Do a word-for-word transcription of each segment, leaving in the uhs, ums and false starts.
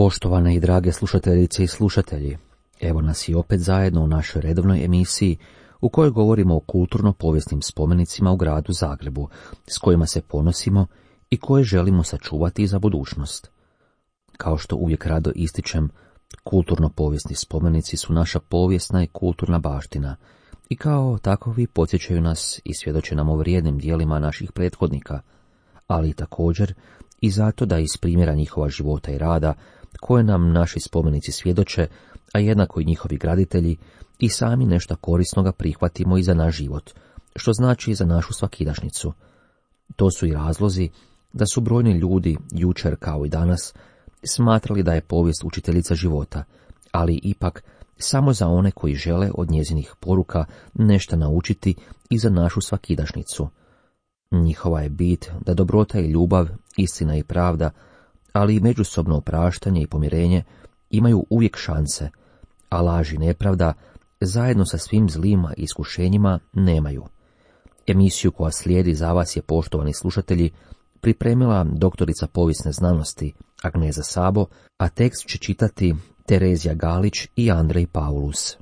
Poštovane i drage slušateljice i slušatelji, evo nas i opet zajedno u našoj redovnoj emisiji u kojoj govorimo o kulturno-povijesnim spomenicima u gradu Zagrebu, s kojima se ponosimo i koje želimo sačuvati za budućnost. Kao što uvijek rado ističem, kulturno-povijesni spomenici su naša povijesna i kulturna baština i kao takovi podsjećaju nas i svjedoče nam o vrijednim dijelima naših prethodnika, ali i također i zato da iz primjera njihova života i rada, koje nam naši spomenici svjedoče, a jednako i njihovi graditelji, i sami nešto korisnoga prihvatimo i za naš život, što znači i za našu svakidašnjicu. To su i razlozi da su brojni ljudi, jučer kao i danas, smatrali da je povijest učiteljica života, ali ipak samo za one koji žele od njezinih poruka nešto naučiti i za našu svakidašnjicu. Njihova je bit da dobrota i ljubav, istina i pravda, ali i međusobno opraštanje i pomirenje imaju uvijek šanse, a laž i nepravda zajedno sa svim zlima i iskušenjima nemaju. Emisiju koja slijedi za vas je, poštovani slušatelji, pripremila doktorica povijesne znanosti Agneza Sabo, a tekst će čitati Terezija Galić i Andrej Paulus.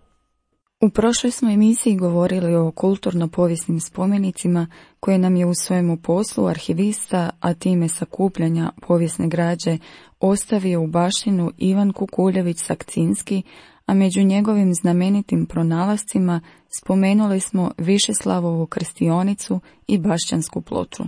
U prošloj smo emisiji govorili o kulturno-povijesnim spomenicima koje nam je u svojemu poslu arhivista, a time sakupljanja povijesne građe, ostavio u baštinu Ivan Kukuljević-Sakcinski, a među njegovim znamenitim pronalascima spomenuli smo Višeslavovu krstionicu i Bašćansku ploču.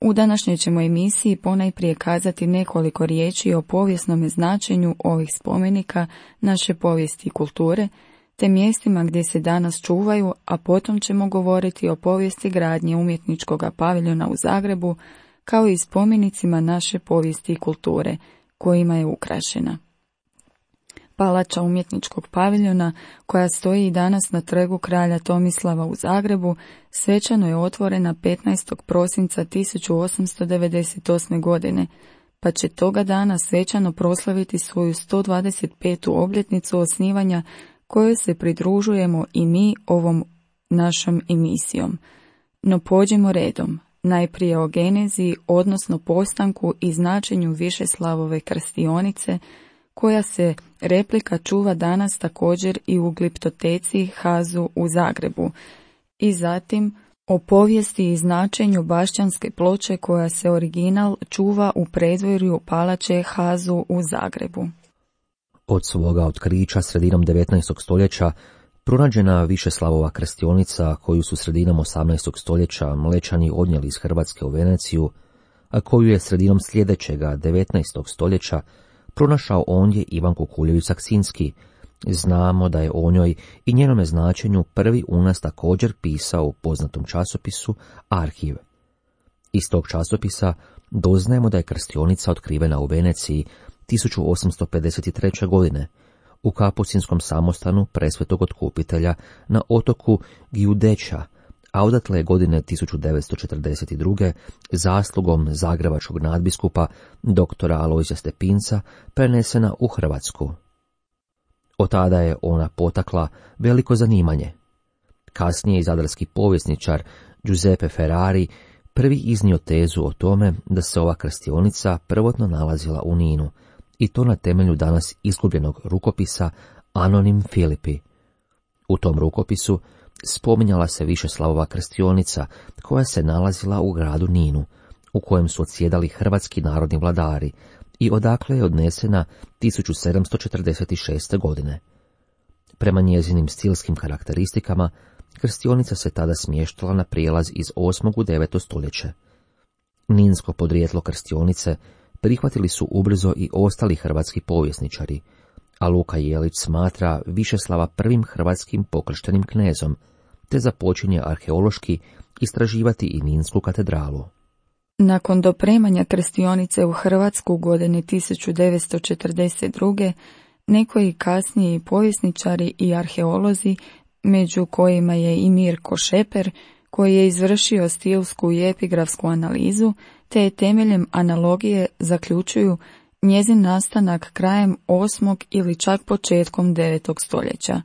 U današnjoj ćemo emisiji ponajprije kazati nekoliko riječi o povijesnom značenju ovih spomenika naše povijesti i kulture, te mjestima gdje se danas čuvaju, a potom ćemo govoriti o povijesti gradnje umjetničkog paviljona u Zagrebu, kao i spomenicima naše povijesti i kulture, kojima je ukrašena. Palača umjetničkog paviljona, koja stoji i danas na trgu kralja Tomislava u Zagrebu, svečano je otvorena petnaestog prosinca tisuću osamsto devedeset osme. godine, pa će toga dana svečano proslaviti svoju sto dvadeset petu obljetnicu osnivanja, kojoj se pridružujemo i mi ovom našom emisijom. No pođimo redom, najprije o genezi, odnosno postanku i značenju Višeslavove krstionice, koja se replika čuva danas također i u gliptoteci Hazu u Zagrebu, i zatim o povijesti i značenju Bašćanske ploče, koja se original čuva u predvorju palače Hazu u Zagrebu. Od svoga otkrića sredinom devetnaestog stoljeća pronađena Višeslavova krstionica, koju su sredinom osamnaestog stoljeća Mlečani odnijeli iz Hrvatske u Veneciju, a koju je sredinom sljedećega devetnaestog stoljeća pronašao ondje Ivan Kukuljević-Sakcinski, znamo da je o njoj i njenome značenju prvi u nas također pisao u poznatom časopisu Arhiv. Iz tog časopisa doznajemo da je krstionica otkrivena u Veneciji tisuću osamsto pedeset treće. godine u kapucinskom samostanu Presvetog otkupitelja na otoku Giudeccia, a odatle je godine tisuću devetsto četrdeset druge. zaslugom zagrebačkog nadbiskupa doktora Alojzija Stepinca prenesena u Hrvatsku. Od tada je ona potakla veliko zanimanje. Kasnije i zadarski povjesničar Giuseppe Ferrari prvi iznio tezu o tome da se ova krstionica prvotno nalazila u Ninu, i to na temelju danas izgubljenog rukopisa Anonim Filipi. U tom rukopisu spominjala se Višeslavova krstionica, koja se nalazila u gradu Ninu, u kojem su odsjedali hrvatski narodni vladari, i odakle je odnesena tisuću sedamsto četrdeset šeste. godine. Prema njezinim stilskim karakteristikama, krstionica se tada smještala na prijelaz iz osmog u deveto stoljeće. Ninsko podrijetlo krstionice prihvatili su ubrzo i ostali hrvatski povjesničari, a Luka Jelić smatra Višeslava prvim hrvatskim pokrštenim knezom, te započinje arheološki istraživati i Ninsku katedralu. Nakon dopremanja krstionice u Hrvatsku godine tisuću devetsto četrdeset druge. nekoji kasniji povjesničari i arheolozi, među kojima je i Mirko Šeper, koji je izvršio stilsku i epigrafsku analizu, te je temeljem analogije zaključuju njezin nastanak krajem osmog ili čak početkom devetog stoljeća.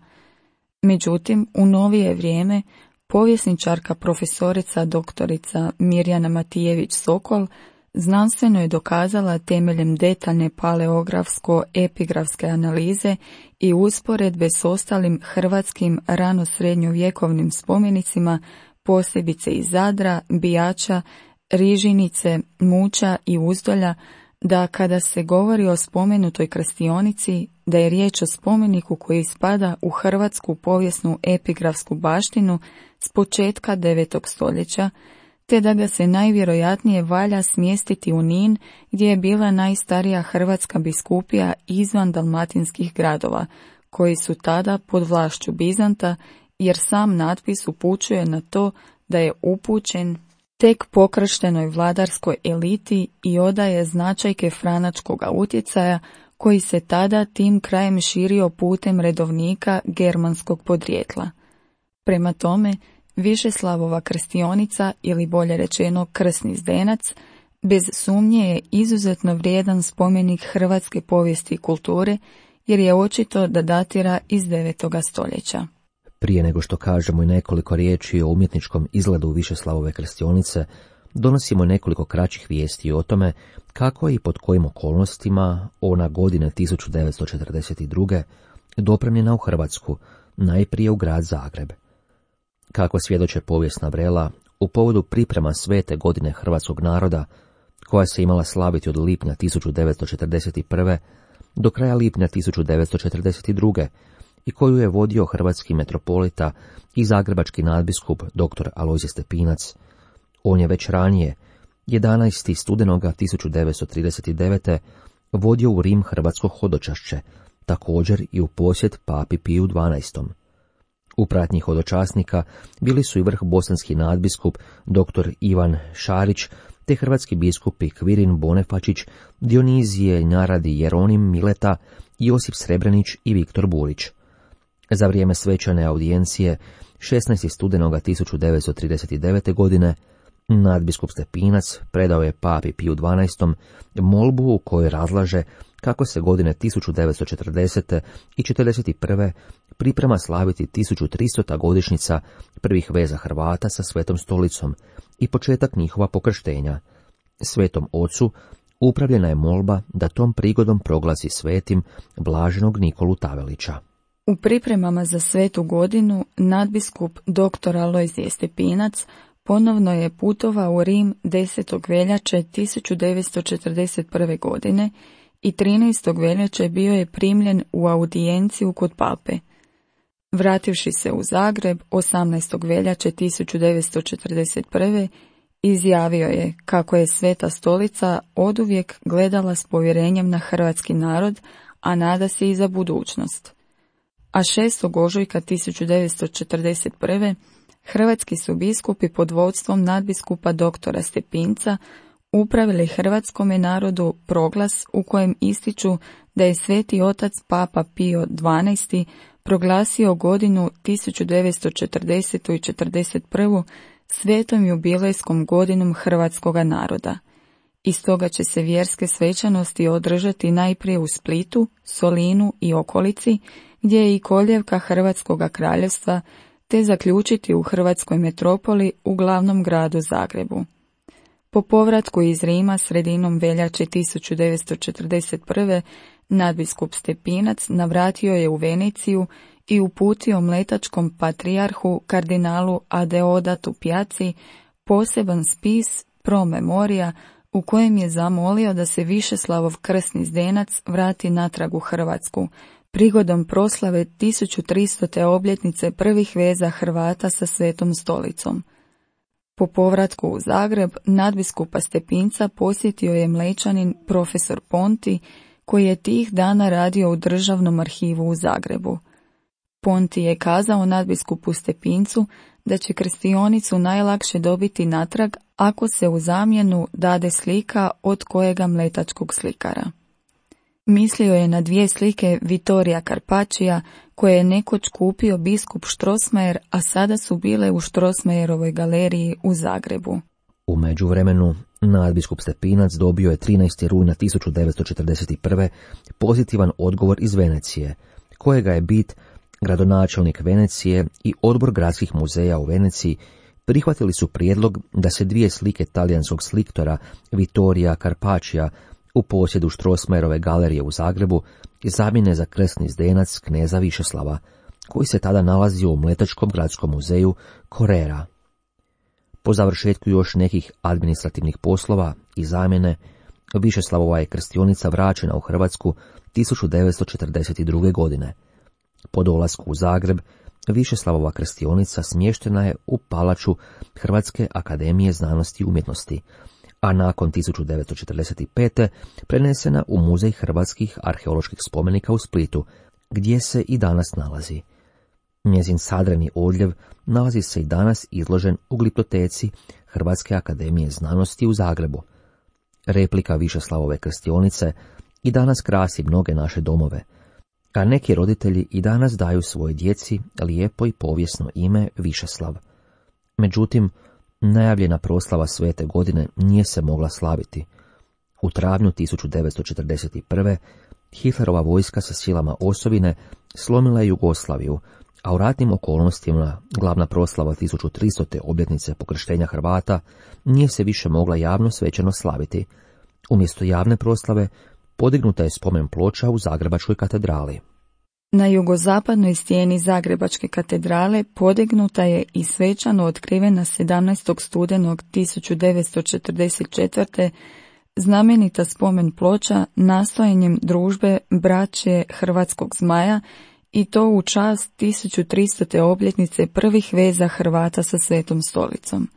Međutim, u novije vrijeme povjesničarka profesorica doktorica Mirjana Matijević Sokol znanstveno je dokazala temeljem detaljne paleografsko-epigrafske analize i usporedbe s ostalim hrvatskim rano-srednjovjekovnim spomenicima, posebice iz Zadra, Bijača, Rižinice, Muća i Uzdolja, da kada se govori o spomenutoj krstionici, da je riječ o spomeniku koji spada u hrvatsku povijesnu epigrafsku baštinu s početka devetog stoljeća, te da ga se najvjerojatnije valja smjestiti u Nin, gdje je bila najstarija hrvatska biskupija izvan dalmatinskih gradova, koji su tada pod vlašću Bizanta, jer sam natpis upućuje na to da je upućen tek pokrštenoj vladarskoj eliti i odaje značajke franačkoga utjecaja, koji se tada tim krajem širio putem redovnika germanskog podrijetla. Prema tome, Višeslavova krstionica, ili bolje rečeno krsni zdenac, bez sumnje je izuzetno vrijedan spomenik hrvatske povijesti i kulture, jer je očito da datira iz devetoga stoljeća. Prije nego što kažemo i nekoliko riječi o umjetničkom izgledu Višeslavove krstionice, donosimo nekoliko kraćih vijesti o tome kako i pod kojim okolnostima ona godine tisuću devetsto četrdeset druge. dopremljena u Hrvatsku, najprije u grad Zagreb. Kako svjedoče povijesna vrela, u povodu priprema svete godine hrvatskog naroda, koja se imala slaviti od lipnja tisuću devetsto četrdeset prve. do kraja lipnja tisuću devetsto četrdeset druge. i koju je vodio hrvatski metropolita i zagrebački nadbiskup dr. Alojzije Stepinac. On je već ranije, jedanaestog studenoga tisuću devetsto trideset devete. vodio u Rim hrvatsko hodočašće, također i u posjet papi Piju dvanaestom. U pratnji hodočasnika bili su i vrh bosanski nadbiskup dr. Ivan Šarić, te hrvatski biskupi Kvirin Bonefačić, Dionizije Njaradi Jeronim Mileta, Josip Srebrenić i Viktor Burić. Za vrijeme svečane audijencije šesnaestog studenoga tisuću devetsto trideset devete. godine nadbiskup Stepinac predao je papi Piju dvanaestom. molbu u kojoj razlaže kako se godine tisuću devetsto četrdesete. i četrdeset prve. priprema slaviti tisuću tristota. godišnjica prvih veza Hrvata sa Svetom stolicom i početak njihova pokrštenja. Svetom ocu upravljena je molba da tom prigodom proglasi svetim blaženog Nikolu Tavelića. U pripremama za svetu godinu nadbiskup dr. Alojzije Stepinac ponovno je putovao u Rim desetog veljače tisuću devetsto četrdeset prve. godine i trinaestog veljače bio je primljen u audijenciju kod pape. Vrativši se u Zagreb osamnaestog veljače tisuću devetsto četrdeset prve. izjavio je kako je Sveta stolica oduvijek gledala s povjerenjem na hrvatski narod, a nada se i za budućnost. A šestog ožujka tisuću devetsto četrdeset prve. hrvatski su biskupi pod vodstvom nadbiskupa doktora Stepinca upravili hrvatskome narodu proglas u kojem ističu da je Sveti otac Papa Pio dvanaesti. proglasio godinu tisuću devetsto četrdesetu. i četrdeset prvu. svetom jubilejskom godinom hrvatskoga naroda. I stoga će se vjerske svečanosti održati najprije u Splitu, Solinu i okolici, gdje je i koljevka Hrvatskoga kraljevstva, te zaključiti u hrvatskoj metropoli u glavnom gradu Zagrebu. Po povratku iz Rima sredinom veljače tisuću devetsto četrdeset prve. nadbiskup Stepinac navratio je u Veneciju i uputio mletačkom patrijarhu kardinalu Adeodatu Pjaci poseban spis pro memoria u kojem je zamolio da se Višeslavov krsni zdenac vrati natrag u Hrvatsku, prigodom proslave tisuću tristote. obljetnice prvih veza Hrvata sa Svetom stolicom. Po povratku u Zagreb, nadbiskupa Stepinca posjetio je Mlečanin profesor Ponti, koji je tih dana radio u Državnom arhivu u Zagrebu. Ponti je kazao nadbiskupu Stepincu da će krstionicu najlakše dobiti natrag ako se u zamjenu dade slika od kojega mletačkog slikara. Mislio je na dvije slike Vittorija Carpaccia koje je nekoć kupio biskup Strossmayer, a sada su bile u Strossmayerovoj galeriji u Zagrebu. U međuvremenu, nadbiskup Stepinac dobio je trinaestog rujna tisuću devetsto četrdeset prve. pozitivan odgovor iz Venecije, kojega je bit gradonačelnik Venecije i odbor gradskih muzeja u Veneciji prihvatili su prijedlog da se dvije slike talijanskog sliktora Vittorija Carpaccia u posjedu Strossmayerove galerije u Zagrebu zamijene za krsni zdenac kneza Višeslava, koji se tada nalazio u Mletačkom gradskom muzeju Correra. Po završetku još nekih administrativnih poslova i zamjene, Višeslavova je krstionica vraćena u Hrvatsku tisuću devetsto četrdeset druge. godine. Po dolasku u Zagreb, Višeslavova krstionica smještena je u palaču Hrvatske akademije znanosti i umjetnosti, a nakon tisuću devetsto četrdeset pete. prenesena u Muzej hrvatskih arheoloških spomenika u Splitu, gdje se i danas nalazi. Njezin sadreni odljev nalazi se i danas izložen u gliptoteci Hrvatske akademije znanosti u Zagrebu. Replika Višeslavove krstionice i danas krasi mnoge naše domove, a neki roditelji i danas daju svojoj djeci lijepo i povijesno ime Višeslav. Međutim, najavljena proslava svete godine nije se mogla slaviti. U travnju tisuću devetsto četrdeset prve. Hitlerova vojska sa silama osovine slomila je Jugoslaviju, a u ratnim okolnostima glavna proslava tisuću tristote obljetnice pokrštenja Hrvata nije se više mogla javno svečano slaviti. Umjesto javne proslave podignuta je spomen ploča u Zagrebačkoj katedrali. Na jugozapadnoj stijeni Zagrebačke katedrale podignuta je i svečano otkrivena sedamnaestog studenog tisuću devetsto četrdeset četvrte. znamenita spomen ploča nastojanjem družbe braće Hrvatskog zmaja, i to u čast tisuću tristote obljetnice prvih veza Hrvata sa Svetom stolicom.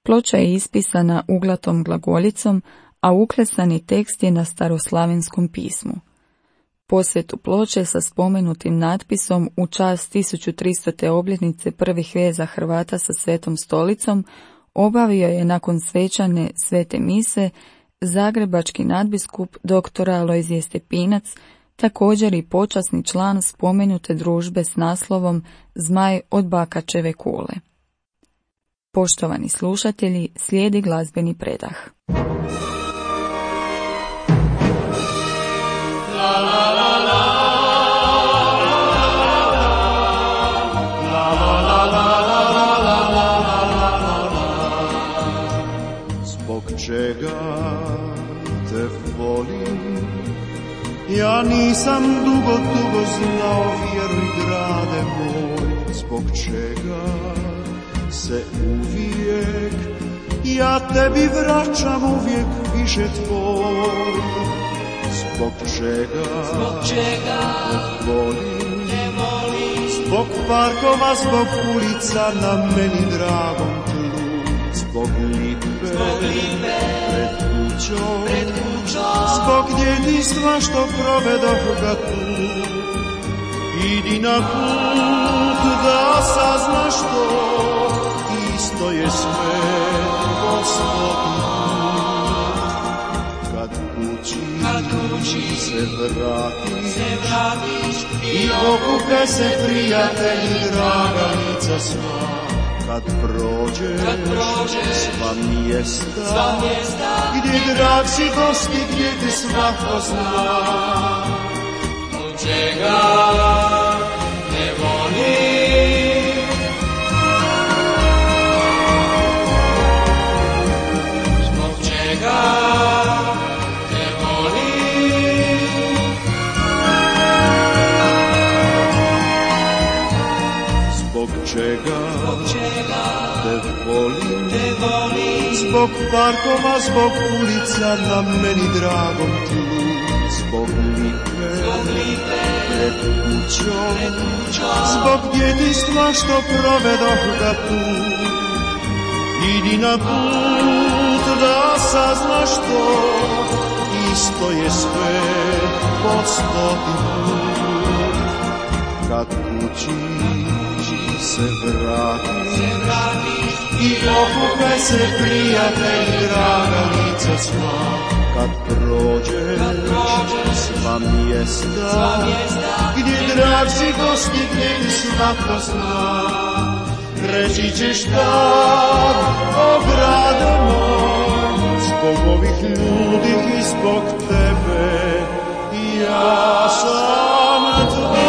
Ploča je ispisana uglatom glagoljicom, a uklesani tekst je na staroslavenskom pismu. Posvetu ploče sa spomenutim natpisom u čast tisuću tristote obljetnice prvih veza Hrvata sa Svetom stolicom obavio je nakon svečane svete mise zagrebački nadbiskup doktor Alojzije Stepinac, također i počasni član spomenute družbe s naslovom Zmaj od Bakačeve kule. Poštovani slušatelji, slijedi glazbeni predah. Zbog čega te volim, ja nisam dugo, dugo znao, vjeruj grade moj. Zbog čega se uvijek ja tebi vraćam uvijek više tvoj. Zbog čega, zbog čega te volim, te volim. Zbog parkova, zbog ulica na meni dragom tlu. Zbog lipe, zbog lipe pred kućom, pred kućom. Zbog djetinjstva što provedoh ga tu. Idi na put da saznaš to, isto je sve po stoti put. Kad kući, kad kući se vratiš, se vratiš i okupe se prijatelji, draga lica sva. Kad prođeš, kad prođeš sva mjesta, sva mjesta gdje drag si gosti, gdje te svako zna. Od čega ne volim, zbog čega ne volim, zbog čega, zbog čega te volim, te volim. Zbog parkova, zbog ulica na meni dragom tlu. Zbog lipe, zbog lipe pred kućom, pred kućom. Zbog djetinjstva što provedoh ga tu. Idi na put da saznaš to, isto je sve po stoti put. Kad kući se vratiš, se vratiš i okupe se prijatelji, draga lica sva. Kad prođeš, kad prođeš sva mjesta, sva mjesta gdje drag si gosti, gdje ti svako zna. Reći ćeš tad, o grade moj, zbog ovih ljudi i zbog tebe, ja sam tvoj.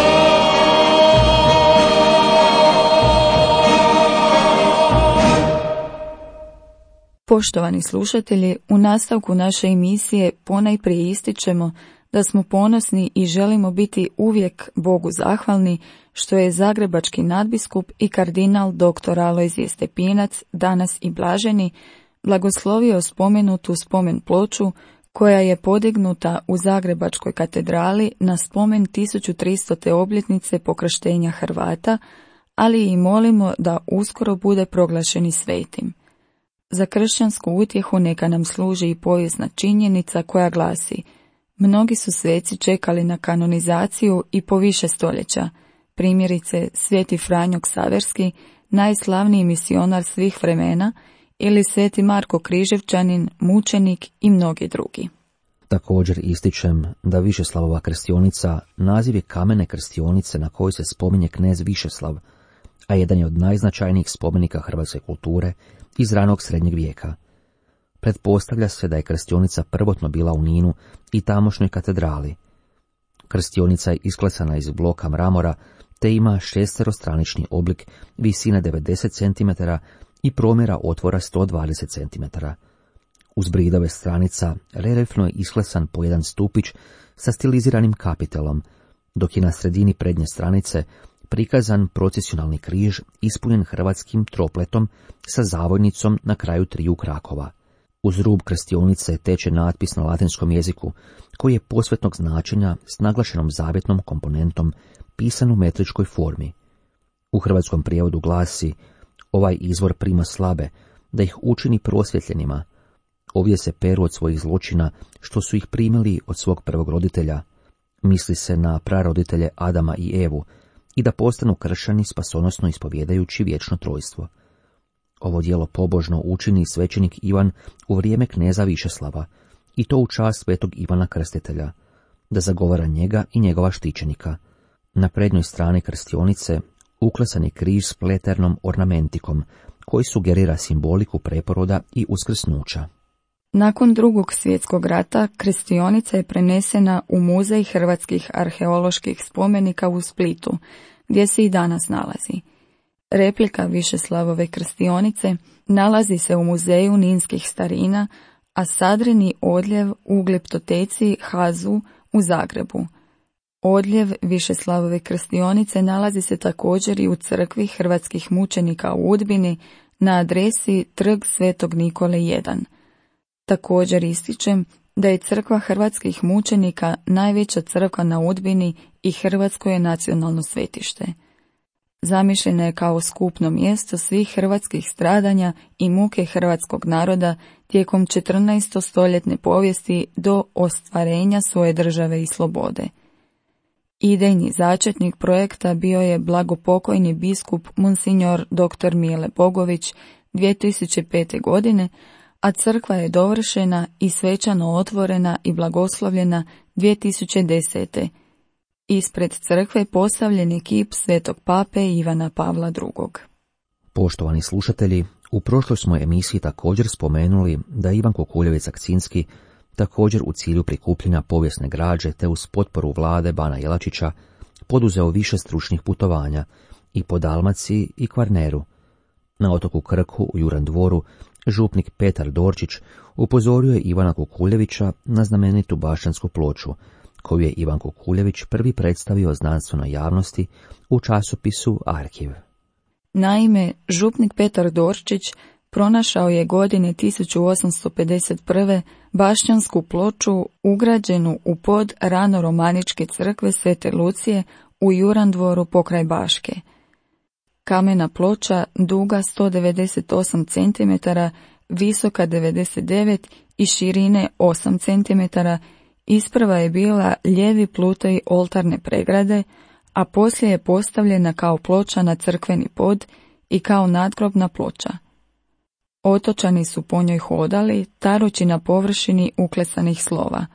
Poštovani slušatelji, u nastavku naše emisije ponajprije ističemo da smo ponosni i želimo biti uvijek Bogu zahvalni što je zagrebački nadbiskup i kardinal doktor Alojzije Stepinac, danas i blaženi, blagoslovio spomenutu spomen ploču koja je podignuta u Zagrebačkoj katedrali na spomen tisuću tristute obljetnice pokrštenja Hrvata, ali i molimo da uskoro bude proglašeni svetim. Za kršćansku utjehu neka nam služi i povijesna činjenica koja glasi: mnogi su sveci čekali na kanonizaciju i po više stoljeća, primjerice sveti Franjo Ksaverski, najslavniji misionar svih vremena, ili sveti Marko Križevčanin, mučenik i mnogi drugi. Također ističem da Višeslavova krstionica naziv je kamene krstionice na kojoj se spominje knez Višeslav, a jedan je od najznačajnijih spomenika hrvatske kulture iz ranog srednjeg vijeka. Pretpostavlja se da je krstionica prvotno bila u Ninu i tamošnjoj katedrali. Krstionica je isklesana iz bloka mramora, te ima šesterostranični oblik visine devedeset centimetara i promjera otvora sto dvadeset centimetara. Uz bridove stranica reljefno je isklesan po jedan stupić sa stiliziranim kapitelom, dok je na sredini prednje stranice prikazan procesionalni križ ispunjen hrvatskim tropletom sa zavojnicom na kraju triju krakova. Uz rub krstionice teče natpis na latinskom jeziku, koji je posvetnog značenja s naglašenom zavjetnom komponentom pisan u metričkoj formi. U hrvatskom prijevodu glasi: ovaj izvor prima slabe, da ih učini prosvjetljenima. Ovdje se peru od svojih zločina, što su ih primili od svog prvog roditelja. Misli se na praroditelje Adama i Evu, i da postanu kršćani spasonosno ispovjedajući vječno trojstvo. Ovo djelo pobožno učini svećenik Ivan u vrijeme kneza Višeslava, i to u čast svetog Ivana Krstitelja, da zagovara njega i njegova štićenika. Na prednjoj strani krstionice uklesan je križ s pleternom ornamentikom, koji sugerira simboliku preporoda i uskrsnuća. Nakon drugog svjetskog rata krstionica je prenesena u Muzej hrvatskih arheoloških spomenika u Splitu, gdje se i danas nalazi. Replika Višeslavove krstionice nalazi se u Muzeju ninskih starina, a sadreni odljev u Gleptoteci Hazu u Zagrebu. Odljev Višeslavove krstionice nalazi se također i u crkvi hrvatskih mučenika u Udbini na adresi Trg Svetog Nikole jedan. Također ističem da je crkva hrvatskih mučenika najveća crkva na Udbini i hrvatsko je nacionalno svetište. Zamišljena je kao skupno mjesto svih hrvatskih stradanja i muke hrvatskog naroda tijekom četrnaestostoljetne povijesti do ostvarenja svoje države i slobode. Idejni začetnik projekta bio je blagopokojni biskup Monsignor doktor Mile Bogović dvije tisuće pete. godine, a crkva je dovršena i svečano otvorena i blagoslovljena dvije tisuće desete. Ispred crkve postavljen je kip svetog pape Ivana Pavla drugog. Poštovani slušatelji, u prošloj smo emisiji također spomenuli da Ivan Kukuljević Sakcinski, također u cilju prikupljanja povijesne građe te uz potporu vlade Bana Jelačića, poduzeo više stručnih putovanja i po Dalmaciji i Kvarneru. Na otoku Krku u Juran dvoru župnik Petar Dorčić upozorio je Ivana Kukuljevića na znamenitu bašćansku ploču, koju je Ivan Kukuljević prvi predstavio znanstvenoj javnosti u časopisu Arhiv. Naime, župnik Petar Dorčić pronašao je godine tisuću osamsto pedeset prve. bašćansku ploču ugrađenu u pod rano-romaničke crkve Svete Lucije u Juran dvoru pokraj Baške. Kamena ploča, duga sto devedeset osam centimetara, visoka devedeset devet i širine osam centimetara, isprva je bila lijevi plutoj oltarne pregrade, a poslije je postavljena kao ploča na crkveni pod i kao nadgrobna ploča. Otočani su po njoj hodali, tarući na površini uklesanih slova.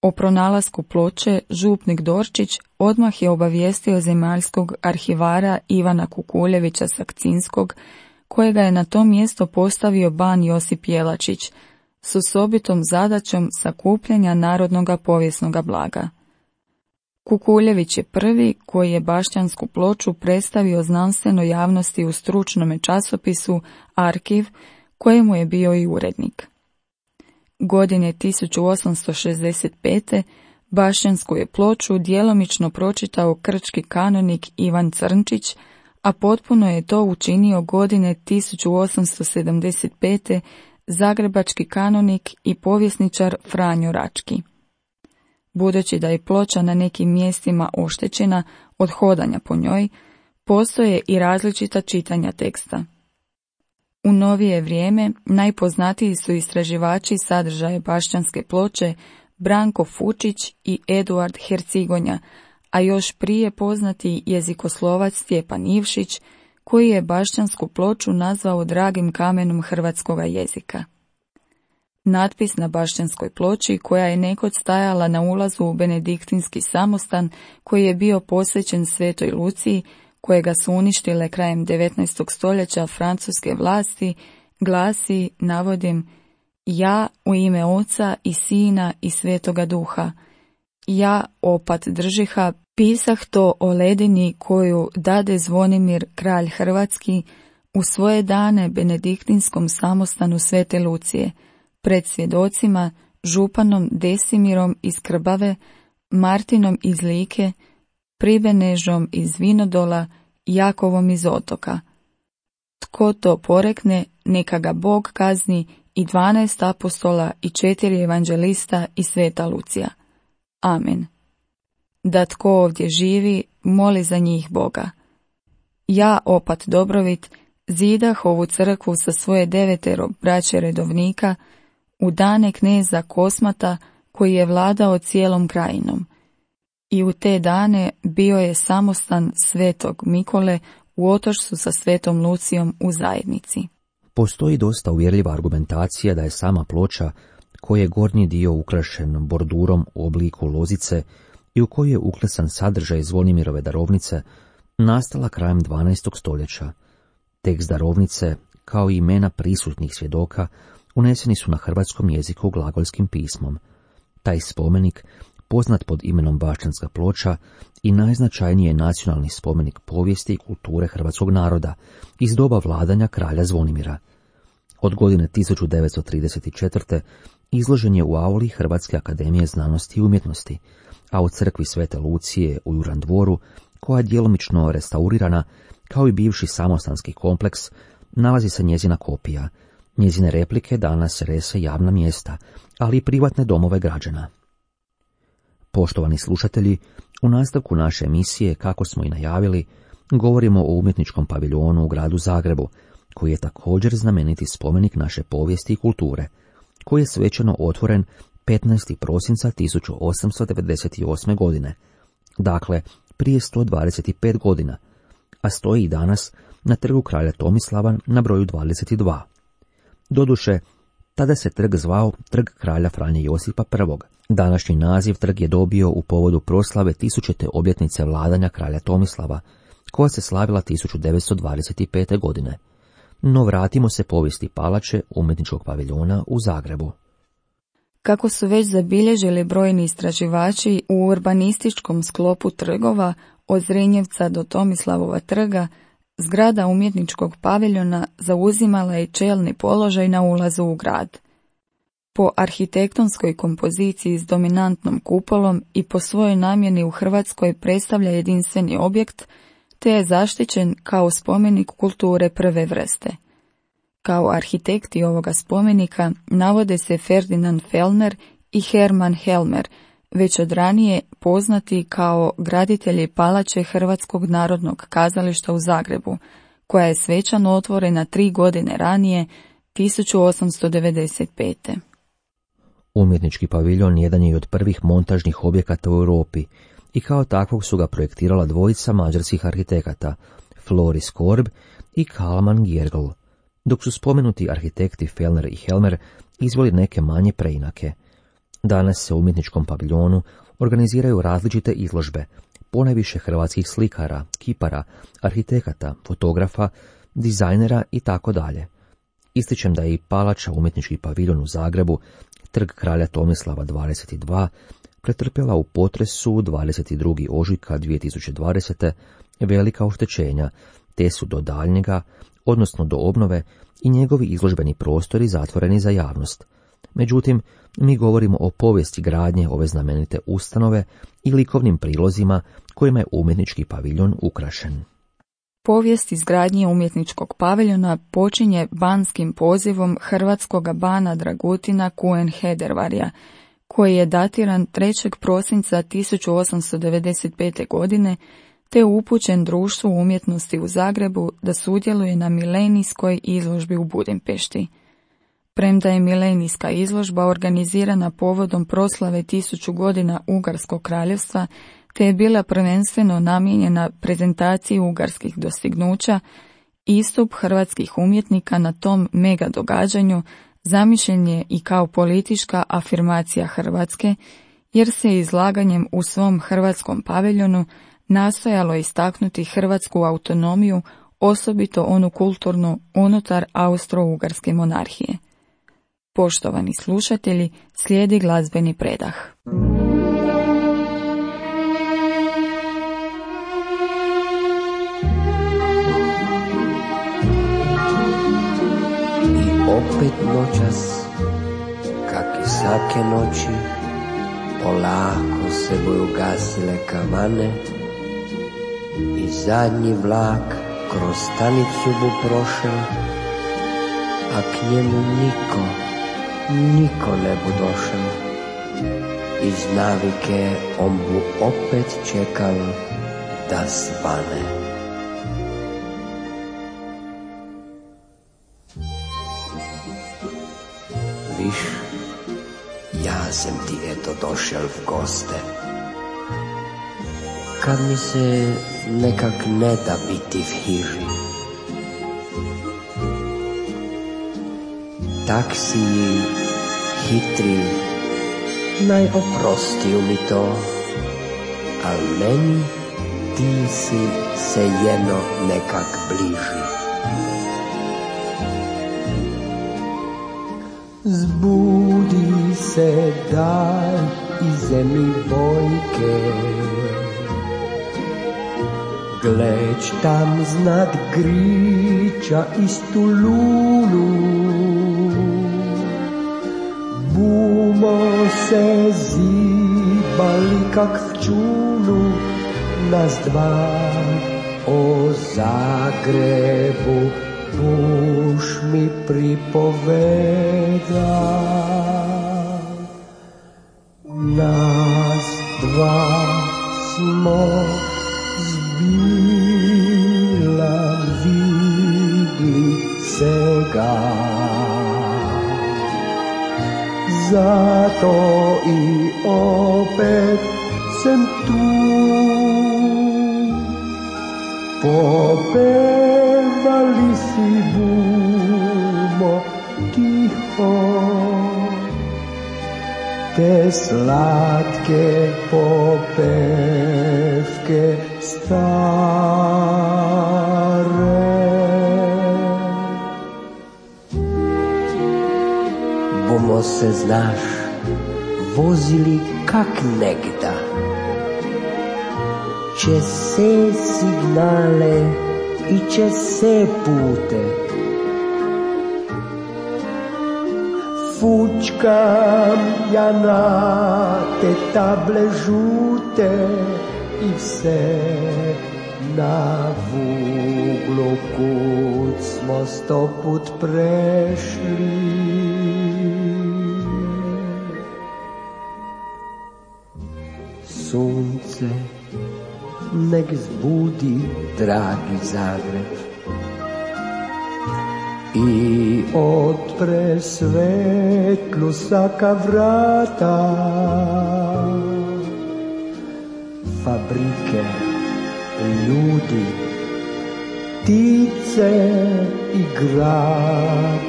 O pronalasku ploče župnik Dorčić odmah je obavijestio zemaljskog arhivara Ivana Kukuljevića Sakcinskog, kojega je na to mjesto postavio ban Josip Jelačić, s osobitom zadaćom sakupljanja narodnoga povijesnoga blaga. Kukuljević je prvi koji je bašćansku ploču predstavio znanstvenoj javnosti u stručnome časopisu Arhiv, kojemu je bio i urednik. Godine tisuću osamsto šezdeset pete. Bašćansku je ploču djelomično pročitao krčki kanonik Ivan Crnčić, a potpuno je to učinio godine tisuću osamsto sedamdeset pete. zagrebački kanonik i povjesničar Franjo Rački. Budući da je ploča na nekim mjestima oštećena od hodanja po njoj, postoje i različita čitanja teksta. U novije vrijeme najpoznatiji su istraživači sadržaja bašćanske ploče Branko Fučić i Eduard Hercigonja, a još prije poznati jezikoslovac Stjepan Ivšić, koji je bašćansku ploču nazvao dragim kamenom hrvatskoga jezika. Natpis na bašćanskoj ploči, koja je nekoć stajala na ulazu u benediktinski samostan koji je bio posvećen Svetoj Luciji, kojega su uništile krajem devetnaestog stoljeća francuske vlasti, glasi, navodim, ja u ime Oca i Sina i Svetoga Duha, ja opat držiha, pisah to o ledini koju dade Zvonimir kralj Hrvatski u svoje dane benediktinskom samostanu Svete Lucije, pred svjedocima, županom Desimirom iz Krbave, Martinom iz Like, Pribenežom iz Vinodola, Jakovom iz Otoka. Tko to porekne, neka ga Bog kazni, i dvanaest apostola i četiri evanđelista i Sveta Lucija. Amen. Da tko ovdje živi, moli za njih Boga. Ja, opat Dobrovit, zidah ovu crkvu sa svoje devetero braće redovnika u dane kneza Kosmata, koji je vladao cijelom krajinom. I u te dane bio je samostan Svetog Mikole u Otočcu sa Svetom Lucijom u zajednici. Postoji dosta uvjerljiva argumentacija da je sama ploča, koji je gornji dio ukrašen bordurom u obliku lozice i u koju je uklesan sadržaj Zvonimirove darovnice, nastala krajem dvanaestog stoljeća. Tekst darovnice, kao i imena prisutnih svjedoka, uneseni su na hrvatskom jeziku glagolskim pismom. Taj spomenik, poznat pod imenom Bašćanska ploča, i najznačajniji je nacionalni spomenik povijesti i kulture hrvatskog naroda iz doba vladanja kralja Zvonimira. Od godine tisuću devetsto trideset četvrte. izložen je u auli Hrvatske akademije znanosti i umjetnosti, a u crkvi Svete Lucije u Juran dvoru, koja je djelomično restaurirana, kao i bivši samostanski kompleks, nalazi se njezina kopija. Njezine replike danas rese javna mjesta, ali i privatne domove građana. Poštovani slušatelji, u nastavku naše emisije, kako smo i najavili, govorimo o umjetničkom paviljonu u gradu Zagrebu, koji je također znameniti spomenik naše povijesti i kulture, koji je svečano otvoren petnaestog prosinca tisuću osamsto devedeset osme. godine, dakle prije sto dvadeset pet godina, a stoji i danas na trgu kralja Tomislava na broju dvadeset dva. Doduše, tada se trg zvao Trg kralja Franje Josipa prvog. Današnji naziv trg je dobio u povodu proslave tisućite obljetnice vladanja kralja Tomislava, koja se slavila tisuću devetsto dvadeset pete. godine. No vratimo se povijesti palače umjetničkog paviljona u Zagrebu. Kako su već zabilježili brojni istraživači, u urbanističkom sklopu trgova od Zrinjevca do Tomislavova trga, zgrada umjetničkog paviljona zauzimala je čelni položaj na ulazu u grad. Po arhitektonskoj kompoziciji s dominantnom kupolom i po svojoj namjeni u Hrvatskoj predstavlja jedinstveni objekt, te je zaštićen kao spomenik kulture prve vrste. Kao arhitekti ovoga spomenika navode se Ferdinand Fellner i Hermann Helmer, već od ranije poznati kao graditelji palače Hrvatskog narodnog kazališta u Zagrebu, koja je svečano otvorena tri godine ranije, tisuću osamsto devedeset pete. Umjetnički paviljon jedan je od prvih montažnih objekata u Europi i kao takvog su ga projektirala dvojica mađarskih arhitekata, Floris Korb i Kalman Gjergl, dok su spomenuti arhitekti Fellner i Helmer izveli neke manje preinake. Danas se u umjetničkom paviljonu organiziraju različite izložbe, ponajviše hrvatskih slikara, kipara, arhitekata, fotografa, dizajnera i tako dalje. Ističem da je i palača umjetnički paviljon u Zagrebu, Trg kralja Tomislava dvadeset dva, pretrpjela u potresu dvadeset drugog ožujka dvije tisuće dvadesete. velika oštećenja, te su do daljnjega, odnosno do obnove, i njegovi izložbeni prostori zatvoreni za javnost. Međutim, mi govorimo o povijesti gradnje ove znamenite ustanove i likovnim prilozima kojima je umjetnički paviljon ukrašen. Povijest izgradnje umjetničkog paviljona počinje banskim pozivom hrvatskog bana Dragutina Kuen Hedervarija, koji je datiran trećeg prosinca tisuću osamsto devedeset pete. godine, te upućen Društvu umjetnosti u Zagrebu da sudjeluje na milenijskoj izložbi u Budimpešti. Premda je milenijska izložba organizirana povodom proslave tisuću godina Ugarskog kraljevstva, te je bila prvenstveno namijenjena prezentaciji ugarskih dostignuća, istup hrvatskih umjetnika na tom mega događanju zamišljen je i kao politička afirmacija Hrvatske, jer se izlaganjem u svom hrvatskom paviljonu nastojalo istaknuti hrvatsku autonomiju, osobito onu kulturnu unutar Austro-Ugarske monarhije. Poštovani slušatelji, slijedi glazbeni predah. Opet noćas, kak i svake noći, polako se boju gasile kavane i zadnji vlak kroz stanicu bu prošel, a k njemu niko, niko ne bu došel. Iz navike on bu opet čekal da svane. Viš, ja sam ti eto došel v goste. Kad mi se nekak ne da biti v hiži, tak si hitri, naj oprostiju mi to, al meni ti si se jedno nekak bliži. Zbudi se daj i zemlji bojke, gledž tam znad griča istu lunu. Bumo se zibali kak v čunu, nas dva o Zagrebu buš mi pripoveda. Nas dva smo zbila vidli sega, zato i opet sem tu. Popevali si bumo tiho te slatke popevke stare. Bomo se, znaš, vozili kak negda, čez se signale i čez se pute. Fučkam ja na te table žute i vse na vuglu kud smo sto put prešli. Sunce nek zbudi dragi Zagreb i otpre svetlu saka vrata. Fabrike, ljudi, ptice i grad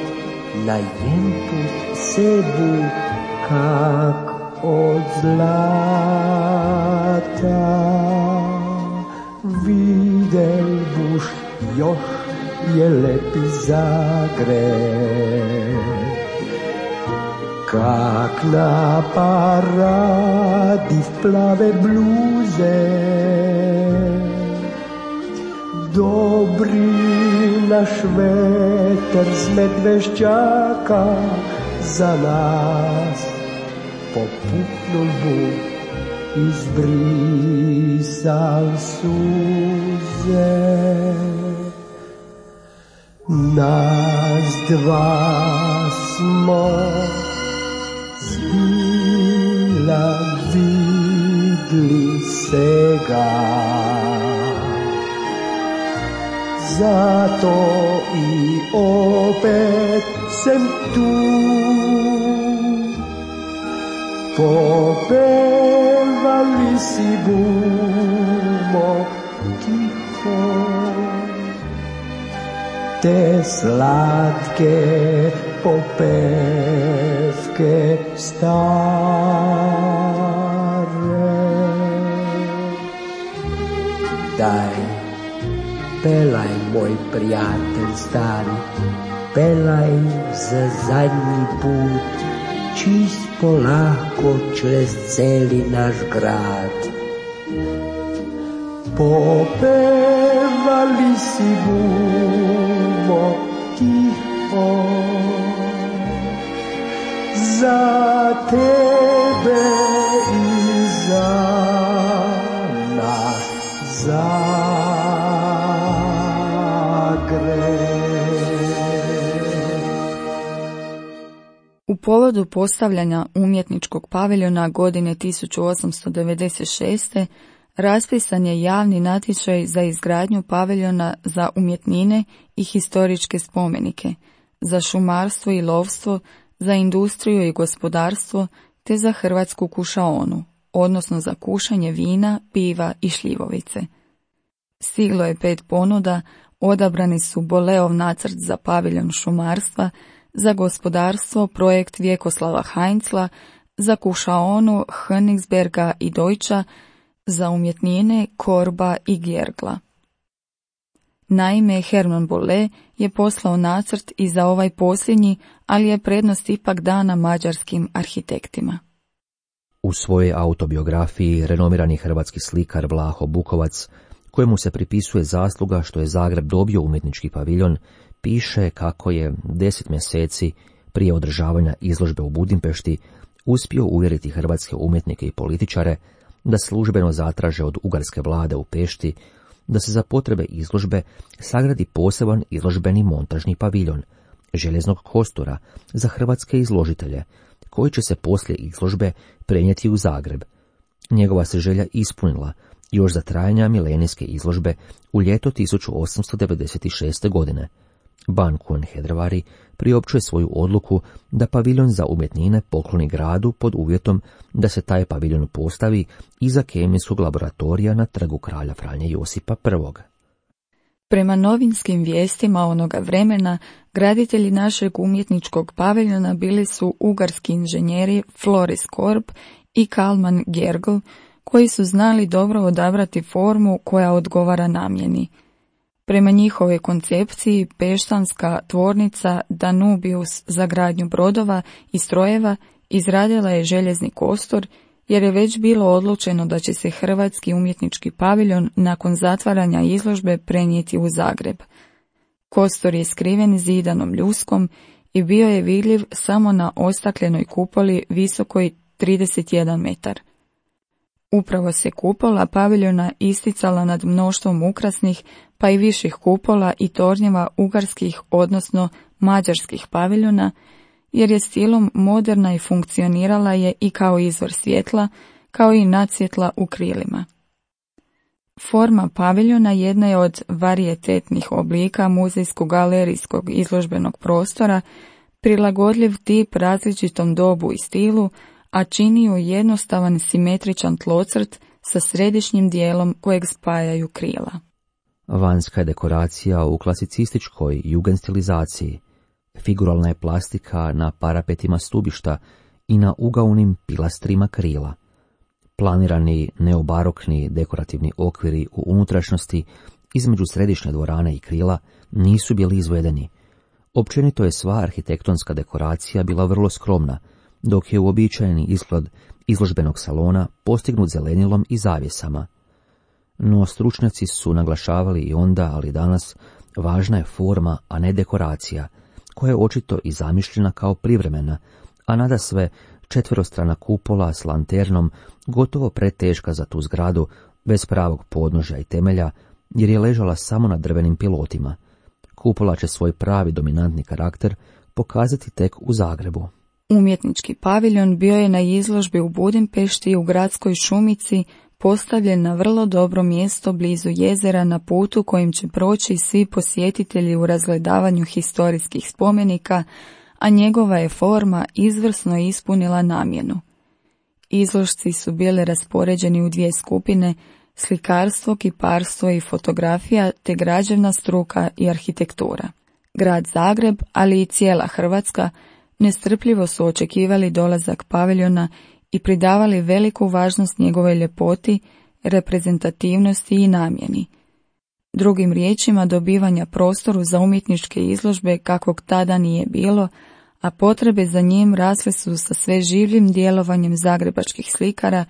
na jemput sebu kak od zlata. Videl buš još je lepi Zagreb, kak na paradi v plave bluze. Dobri naš veter s Medvešćaka za nas popuknul buk, izbrisal suze. Nas dva smo zbila vidli sega, zato i opet sem tu. Popevali si bumo tiho te slatke popevke stare. Daj, pelaj, moj prijatelj stari, pelaj za zadnji put, čist polako čez celi naš grad. Popevali si bumo tiho za tebe i za naš Zagreb. U povodu postavljanja umjetničkog paviljona godine tisuću osamsto devedeset šeste. raspisan je javni natječaj za izgradnju paviljona za umjetnine i historičke spomenike, za šumarstvo i lovstvo, za industriju i gospodarstvo, te za hrvatsku kušaonu, odnosno za kušanje vina, piva i šljivovice. Stiglo je pet ponuda, odabrani su Boleov nacrt za paviljon šumarstva, za gospodarstvo projekt Vjekoslava Heinzla, za kušaonu Königsberga i Deutscha, za umjetnine Korba i Gjergla. Naime, Hermann Bolle je poslao nacrt i za ovaj posljednji, ali je prednost ipak dana mađarskim arhitektima. U svojoj autobiografiji renomirani hrvatski slikar Vlaho Bukovac, kojemu se pripisuje zasluga što je Zagreb dobio umjetnički paviljon, piše kako je deset mjeseci prije održavanja izložbe u Budimpešti uspio uvjeriti hrvatske umjetnike i političare da službeno zatraže od ugarske vlade u Pešti da se za potrebe izložbe sagradi poseban izložbeni montažni paviljon, željeznog kostura za hrvatske izložitelje, koji će se poslije izložbe prenijeti u Zagreb. Njegova se želja ispunila još za trajanja milenijske izložbe u ljeto tisuću osamsto devedeset šeste. godine. Ban Kuenhedrevari priopćuje svoju odluku da paviljon za umjetnine pokloni gradu pod uvjetom da se taj paviljon postavi iza kemijskog laboratorija na trgu kralja Franje Josipa prvog. Prema novinskim vijestima onoga vremena, graditelji našeg umjetničkog paviljona bili su ugarski inženjeri Floris Korb i Kalman Gjergl, koji su znali dobro odabrati formu koja odgovara namjeni. Prema njihovoj koncepciji, peštanska tvornica Danubius za gradnju brodova i strojeva izradila je željezni kostur, jer je već bilo odlučeno da će se hrvatski umjetnički paviljon nakon zatvaranja izložbe prenijeti u Zagreb. Kostur je skriven zidanom ljuskom i bio je vidljiv samo na ostakljenoj kupoli visokoj trideset jedan metar. Upravo se kupola paviljona isticala nad mnoštvom ukrasnih, pa i viših kupola i tornjeva ugarskih, odnosno mađarskih paviljona, jer je stilom moderna i funkcionirala je i kao izvor svjetla, kao i nadsvjetla u krilima. Forma paviljona jedna je od varijetetnih oblika muzejsko-galerijskog izložbenog prostora, prilagodljiv tip različitom dobu i stilu, a čini ju jednostavan simetričan tlocrt sa središnjim dijelom kojeg spajaju krila. Vanjska je dekoracija u klasicističkoj jugendstilizaciji. Figuralna je plastika na parapetima stubišta i na ugaunim pilastrima krila. Planirani neobarokni dekorativni okviri u unutrašnjosti između središnje dvorane i krila nisu bili izvedeni. Općenito je sva arhitektonska dekoracija bila vrlo skromna, dok je uobičajeni izgled izložbenog salona postignut zelenilom i zavjesama. No stručnjaci su naglašavali i onda, ali i danas, važna je forma, a ne dekoracija, koja je očito i zamišljena kao privremena, a nadasve četverostrana kupola s lanternom gotovo preteška za tu zgradu, bez pravog podnožja i temelja, jer je ležala samo na drvenim pilotima. Kupola će svoj pravi dominantni karakter pokazati tek u Zagrebu. Umjetnički paviljon bio je na izložbi u Budimpešti u gradskoj šumici, postavljen na vrlo dobro mjesto blizu jezera na putu kojim će proći svi posjetitelji u razgledavanju historijskih spomenika, a njegova je forma izvrsno ispunila namjenu. Izložci su bili raspoređeni u dvije skupine, slikarstvo, kiparstvo i fotografija, te građevna struka i arhitektura. Grad Zagreb, ali i cijela Hrvatska, nestrpljivo su očekivali dolazak paviljona i pridavali veliku važnost njegovoj ljepoti, reprezentativnosti i namjeni. Drugim riječima, dobivanja prostoru za umjetničke izložbe kakvog tada nije bilo, a potrebe za njim rasle su sa sve življim djelovanjem zagrebačkih slikara,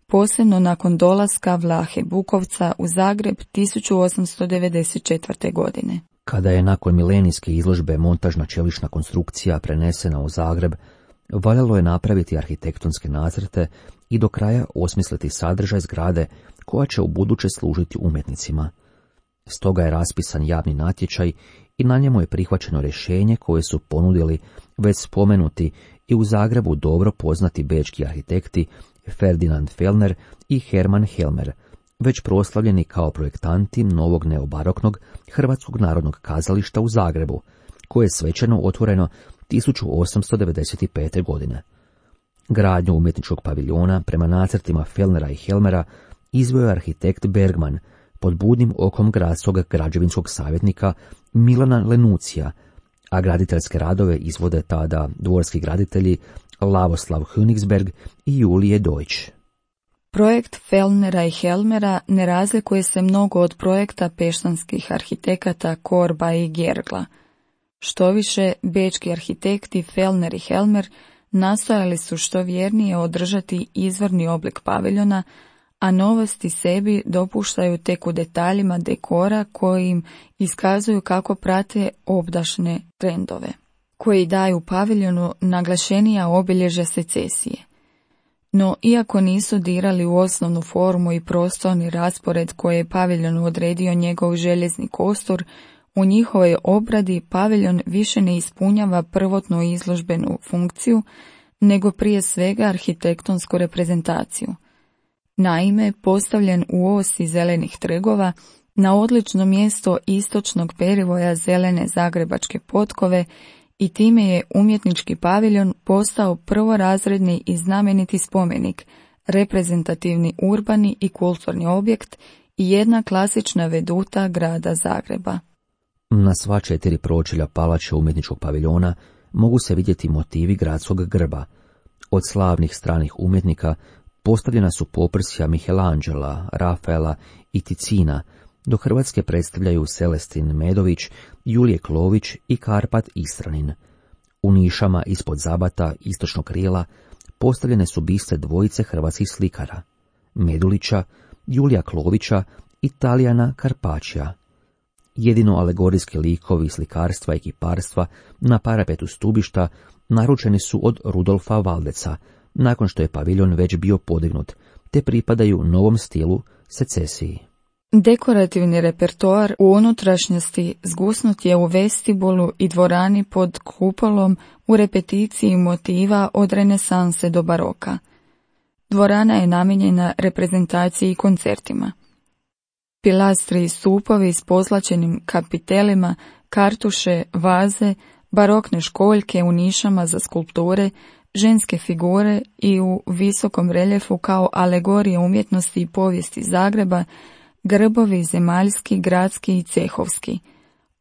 posebno nakon dolaska Vlahe Bukovca u Zagreb tisuću osamsto devedeset četvrte. godine. Kada je nakon milenijske izložbe montažna čelična konstrukcija prenesena u Zagreb, valjalo je napraviti arhitektonske nacrte i do kraja osmisliti sadržaj zgrade koja će u buduće služiti umjetnicima. Stoga je raspisan javni natječaj i na njemu je prihvaćeno rješenje koje su ponudili već spomenuti i u Zagrebu dobro poznati bečki arhitekti Ferdinand Fellner i Hermann Helmer, već proslavljeni kao projektanti novog neobaroknog Hrvatskog narodnog kazališta u Zagrebu, koje je svečano otvoreno tisuću osamsto devedeset pete. godine. Gradnju umjetničkog paviljona prema nacrtima Fellnera i Helmera izveo je arhitekt Bergman pod budnim okom gradskog građevinskog savjetnika Milana Lenucija, a graditeljske radove izvode tada dvorski graditelji Lavoslav Königsberg i Julije Deutsch. Projekt Fellnera i Helmera ne razlikuje se mnogo od projekta peštanskih arhitekata Korba i Gergla. Štoviše, bečki arhitekti Fellner i Helmer nastojali su što vjernije održati izvorni oblik paviljona, a novosti sebi dopuštaju tek u detaljima dekora koji im iskazuju kako prate obdašne trendove, koji daju paviljonu naglašenija obilježja secesije. No, iako nisu dirali u osnovnu formu i prostorni raspored koje je paviljonu odredio njegov željezni kostur, u njihovoj obradi paviljon više ne ispunjava prvotnu izložbenu funkciju, nego prije svega arhitektonsku reprezentaciju. Naime, postavljen u osi zelenih trgova, na odlično mjesto istočnog perivoja zelene zagrebačke potkove, i time je umjetnički paviljon postao prvorazredni i znameniti spomenik, reprezentativni urbani i kulturni objekt i jedna klasična veduta grada Zagreba. Na sva četiri pročelja palače umjetničkog paviljona mogu se vidjeti motivi gradskog grba. Od slavnih stranih umjetnika postavljena su poprsja Michelangela, Rafaela i Ticina, do Hrvatske predstavljaju Celestin Medović, Julije Klović i Karpat Istranin. U nišama ispod zabata istočnog krila postavljene su biste dvojice hrvatskih slikara, Medulića, Julija Klovića i Talijana Karpačija. Jedino alegorijski likovi slikarstva i kiparstva na parapetu stubišta naručeni su od Rudolfa Valdeca, nakon što je paviljon već bio podignut, te pripadaju novom stilu secesiji. Dekorativni repertoar u unutrašnjosti zgusnut je u vestibulu i dvorani pod kupolom u repeticiji motiva od renesanse do baroka. Dvorana je namijenjena reprezentaciji i koncertima. Pilastri i stupovi s pozlačenim kapitelima, kartuše, vaze, barokne školjke u nišama za skulpture, ženske figure i u visokom reljefu kao alegorije umjetnosti i povijesti Zagreba, grbovi zemaljski, gradski i cehovski,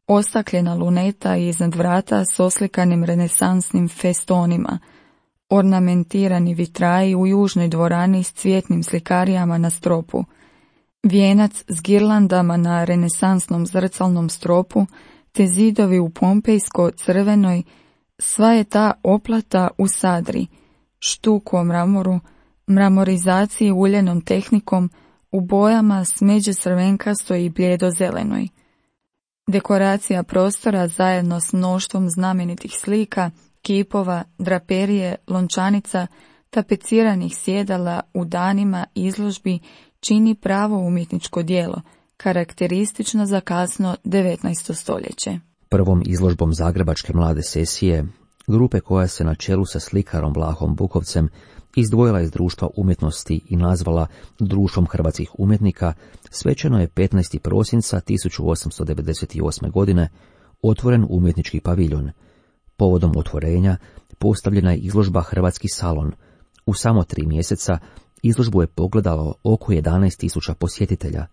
ostakljena luneta iznad vrata s oslikanim renesansnim festonima, ornamentirani vitraji u južnoj dvorani s cvjetnim slikarijama na stropu, vijenac s girlandama na renesansnom zrcalnom stropu, te zidovi u pompejsko-crvenoj, sva je ta oplata u sadri, štuku o mramoru, mramorizaciji uljenom tehnikom, u bojama smeđe crvenkastoj i bljedo-zelenoj. Dekoracija prostora zajedno s mnoštvom znamenitih slika, kipova, draperije, lončanica, tapeciranih sjedala u danima izložbi čini pravo umjetničko djelo, karakteristično za kasno devetnaesto stoljeće. Prvom izložbom Zagrebačke mlade sesije, grupe koja se na čelu sa slikarom Vlahom Bukovcem izdvojila iz društva umjetnosti i nazvala Društvom hrvatskih umjetnika, svečano je petnaestog prosinca tisuću osamsto devedeset osme. godine otvoren umjetnički paviljon. Povodom otvorenja postavljena je izložba Hrvatski salon. U samo tri mjeseca izložbu je pogledalo oko jedanaest tisuća posjetitelja.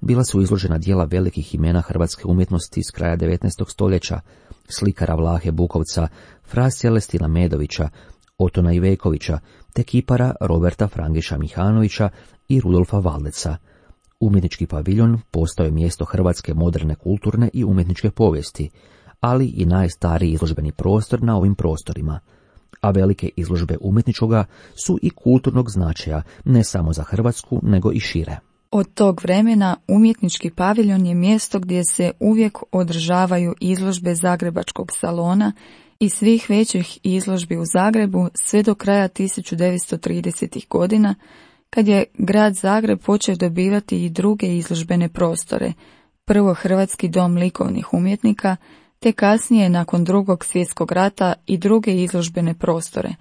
Bila su izložena djela velikih imena hrvatske umjetnosti s kraja devetnaestog stoljeća, slikara Vlahe Bukovca, fra Celestina Medovića, Otona Ivekovića, te kipara Roberta Frangiša Mihanovića i Rudolfa Valdeca. Umjetnički paviljon postao je mjesto hrvatske moderne kulturne i umjetničke povijesti, ali i najstariji izložbeni prostor na ovim prostorima. A velike izložbe umjetničkoga su i kulturnog značaja, ne samo za Hrvatsku, nego i šire. Od tog vremena umjetnički paviljon je mjesto gdje se uvijek održavaju izložbe Zagrebačkog salona i svih većih izložbi u Zagrebu sve do kraja tisuću devetsto tridesetih godina, kad je grad Zagreb počeo dobivati i druge izložbene prostore, prvo Hrvatski dom likovnih umjetnika, te kasnije nakon drugog svjetskog rata i druge izložbene prostore,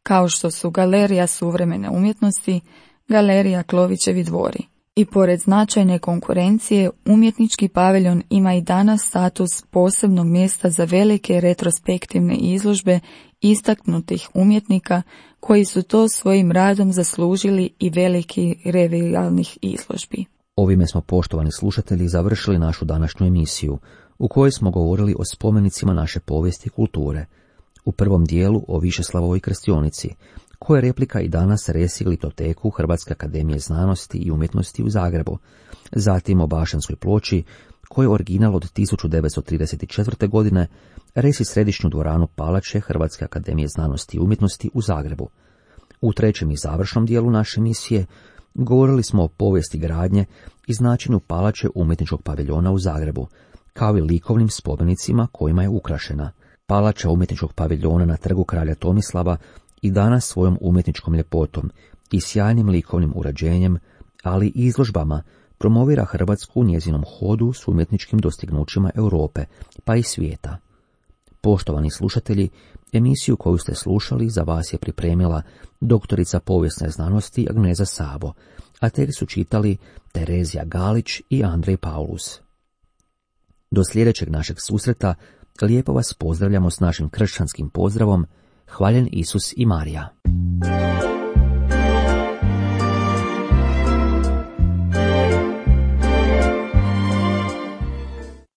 kao što su Galerija suvremene umjetnosti, Galerija Klovićevi dvori. I pored značajne konkurencije, umjetnički paviljon ima i danas status posebnog mjesta za velike retrospektivne izložbe istaknutih umjetnika koji su to svojim radom zaslužili i veliki revijalnih izložbi. Ovime smo, poštovani slušatelji, završili našu današnju emisiju, u kojoj smo govorili o spomenicima naše povijesti i kulture. U prvom dijelu o Višeslavovoj krstionici, koja je replika i danas resi glitoteku Hrvatske akademije znanosti i umjetnosti u Zagrebu, zatim o Bašćanskoj ploči, koja je original od tisuću devetsto trideset četvrte. godine, resi središnju dvoranu Palače Hrvatske akademije znanosti i umjetnosti u Zagrebu. U trećem i završnom dijelu naše emisije govorili smo o povijesti gradnje i značenju Palače umjetničkog paviljona u Zagrebu, kao i likovnim spomenicima kojima je ukrašena. Palača umjetničkog paviljona na trgu kralja Tomislava i danas svojom umjetničkom ljepotom i sjajnim likovnim uređenjem, ali i izložbama, promovira Hrvatsku u njezinom hodu s umjetničkim dostignućima Europe, pa i svijeta. Poštovani slušatelji, emisiju koju ste slušali za vas je pripremila doktorica povijesne znanosti Agneza Sabo, a tekst su čitali Terezija Galić i Andrej Paulus. Do sljedećeg našeg susreta lijepo vas pozdravljamo s našim kršćanskim pozdravom: Hvaljen Isus i Marija.